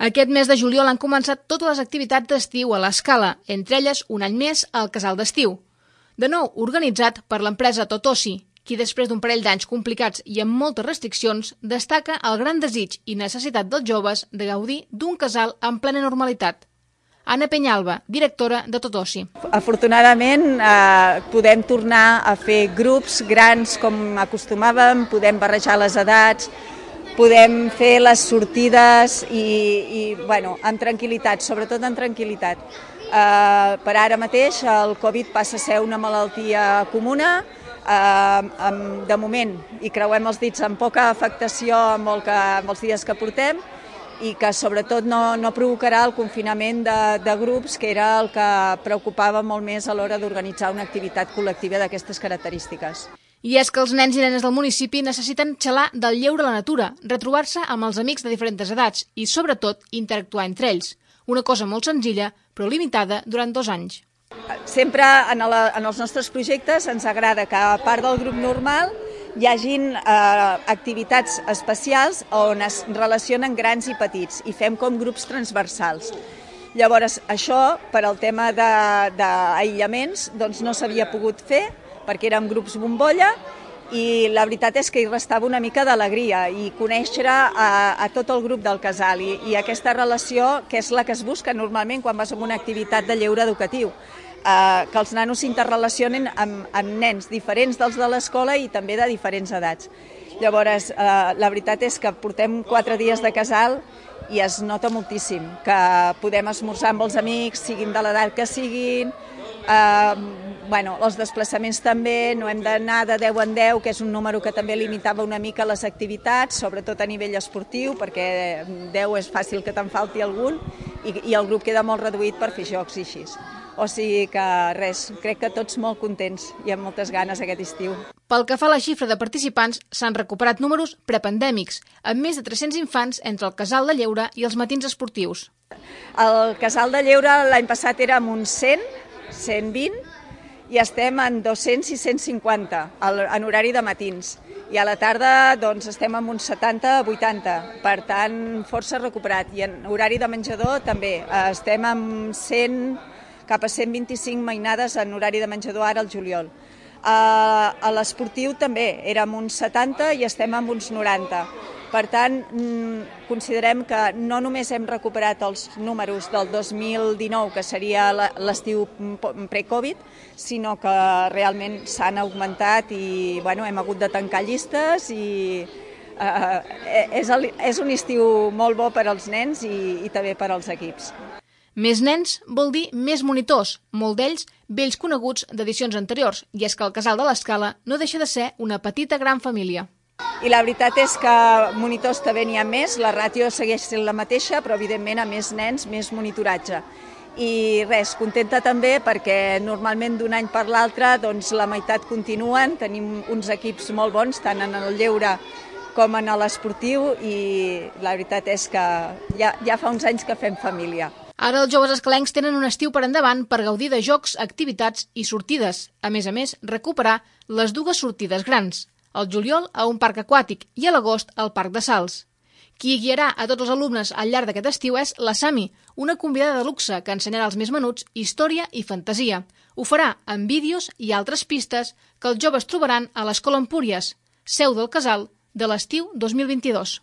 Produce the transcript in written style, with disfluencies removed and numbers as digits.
Aquest mes de juliol han començat totes les activitats d'estiu a l'Escala, entre elles un any més al Casal d'Estiu. De nou organitzat per l'empresa Totosi, qui després d'un parell d'anys complicats i amb moltes restriccions destaca el gran desig i necessitat dels joves de gaudir d'un casal en plena normalitat. Anna Penyalba, directora de Totosi. Afortunadament podem tornar a fer grups grans com acostumàvem, podem barrejar les edats, podem fer les sortides i amb tranquil·litat, sobretot en tranquil·litat. Per ara mateix el Covid passa a ser una malaltia comuna, de moment, i creuem els dits, amb poca afectació amb els dies que portem, i que sobretot no provocarà el confinament de grups, que era el que preocupava molt més a l'hora d'organitzar una activitat col·lectiva d'aquestes característiques. I és que els nens i nenes del municipi necessiten xalar del lleure a la natura, retrobar-se amb els amics de diferents edats i, sobretot, interactuar entre ells. Una cosa molt senzilla, però limitada durant 2 anys. Sempre en els nostres projectes ens agrada que, a part del grup normal, hi hagin activitats especials on es relacionen grans i petits i fem com grups transversals. Llavors, això, per al tema d'aïllaments, no s'havia pogut fer perquè érem grups bombolla i la veritat és que hi restava una mica d'alegria i conèixer a tot el grup del casal i aquesta relació que és la que es busca normalment quan vas a una activitat de lleure educatiu. Que els nanos s'interrelacionen amb nens diferents dels de l'escola i també de diferents edats. Llavors, la veritat és que portem 4 dies de casal i es nota moltíssim que podem esmorzar amb els amics, siguin de l'edat que siguin, els desplaçaments també, no hem d'anar de 10 en 10, que és un número que també limitava una mica les activitats, sobretot a nivell esportiu, perquè 10 és fàcil que te'n falti algun i el grup queda molt reduït per fer jocs i així. O sigui que res, crec que tots molt contents i amb moltes ganes aquest estiu. Pel que fa a la xifra de participants, s'han recuperat números prepandèmics, amb més de 300 infants entre el casal de lleure i els matins esportius. El casal de lleure l'any passat érem uns 100, 120, i estem en 200 i 150 en horari de matins. I a la tarda estem en uns 70-80, per tant força recuperat. I en horari de menjador també, estem amb 100... cap a 125 mainades en horari de menjador ara al juliol. A l'esportiu també érem uns 70 i estem amb uns 90. Per tant, considerem que no només hem recuperat els números del 2019, que seria l'estiu pre-Covid, sinó que realment s'han augmentat i hem hagut de tancar llistes i és un estiu molt bo per als nens i també per als equips. Més nens vol dir més monitors, molt d'ells vells coneguts d'edicions anteriors, i és que el Casal de l'Escala no deixa de ser una petita gran família. I la veritat és que monitors també n'hi ha més, la ràtio segueix sent la mateixa, però evidentment a més nens, més monitoratge. I res, contenta també perquè normalment d'un any per l'altre la meitat continuen, tenim uns equips molt bons, tant en el lleure com en l'esportiu, i la veritat és que ja fa uns anys que fem família. Ara els joves escalencs tenen un estiu per endavant per gaudir de jocs, activitats i sortides. A més, recuperar les 2 sortides grans, al juliol a un parc aquàtic i a l'agost al Parc de Sals. Qui guiarà a tots els alumnes al llarg d'aquest estiu és la Sami, una convidada de luxe que ensenyarà als més menuts història i fantasia. Ho farà amb vídeos i altres pistes que els joves trobaran a l'Escola Empúries, seu del casal de l'estiu 2022.